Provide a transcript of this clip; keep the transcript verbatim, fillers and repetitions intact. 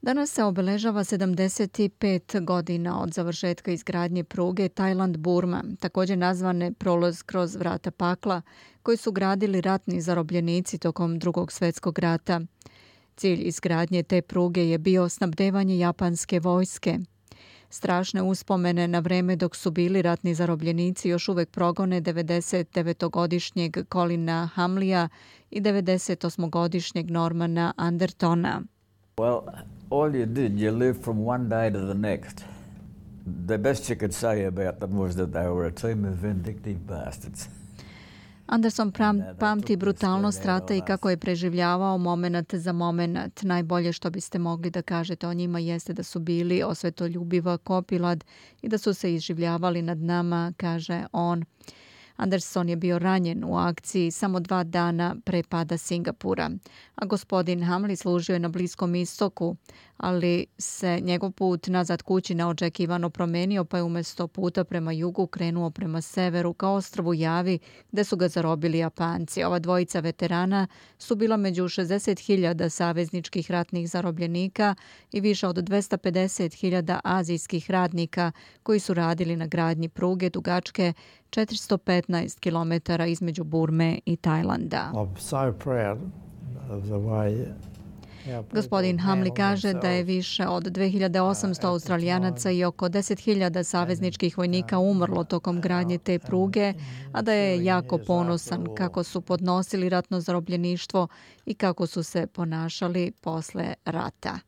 Danas se obeležava sedamdeset pet godina od završetka izgradnje pruge Tajland-Burma, također nazvane prolaz kroz vrata pakla, koji su gradili ratni zarobljenici tokom Drugog svjetskog rata. Cilj izgradnje te pruge je bio snabdevanje japanske vojske. Strašne uspomene na vreme dok su bili ratni zarobljenici još uvek progone devedesetdevetogodišnjeg Colina Hamlija i devedesetosmogodišnjeg Normana Andertona. Well, all you did, you lived from one day to the next. The best you could say about them was that they were a team of vindictive bastards. Anderson pram, pamti brutalnost rata i kako je preživljavao moment za moment. Najbolje što biste mogli da kažete o njima jeste da su bili osvetoljubiva kopilad i da su se izživljavali nad nama, kaže on. Anderson je bio ranjen u akciji samo dva dana pre pada Singapura, a gospodin Hamli služio je na Bliskom istoku, ali se njegov put nazad kući neočekivano promenio, pa je umjesto puta prema jugu krenuo prema severu ka ostrvu Javi, gde su ga zarobili Japanci. Ova dvojica veterana su bila među šezdeset hiljada savezničkih ratnih zarobljenika i više od dvesta pedeset hiljada azijskih radnika koji su radili na gradnji pruge dugačke četiristo petnaest kilometara između Burme i Tajlanda. Gospodin Hamli kaže da je više od dve hiljade osamsto Australijanaca i oko deset hiljada savezničkih vojnika umrlo tokom gradnje te pruge, a da je jako ponosan kako su podnosili ratno zarobljeništvo i kako su se ponašali posle rata.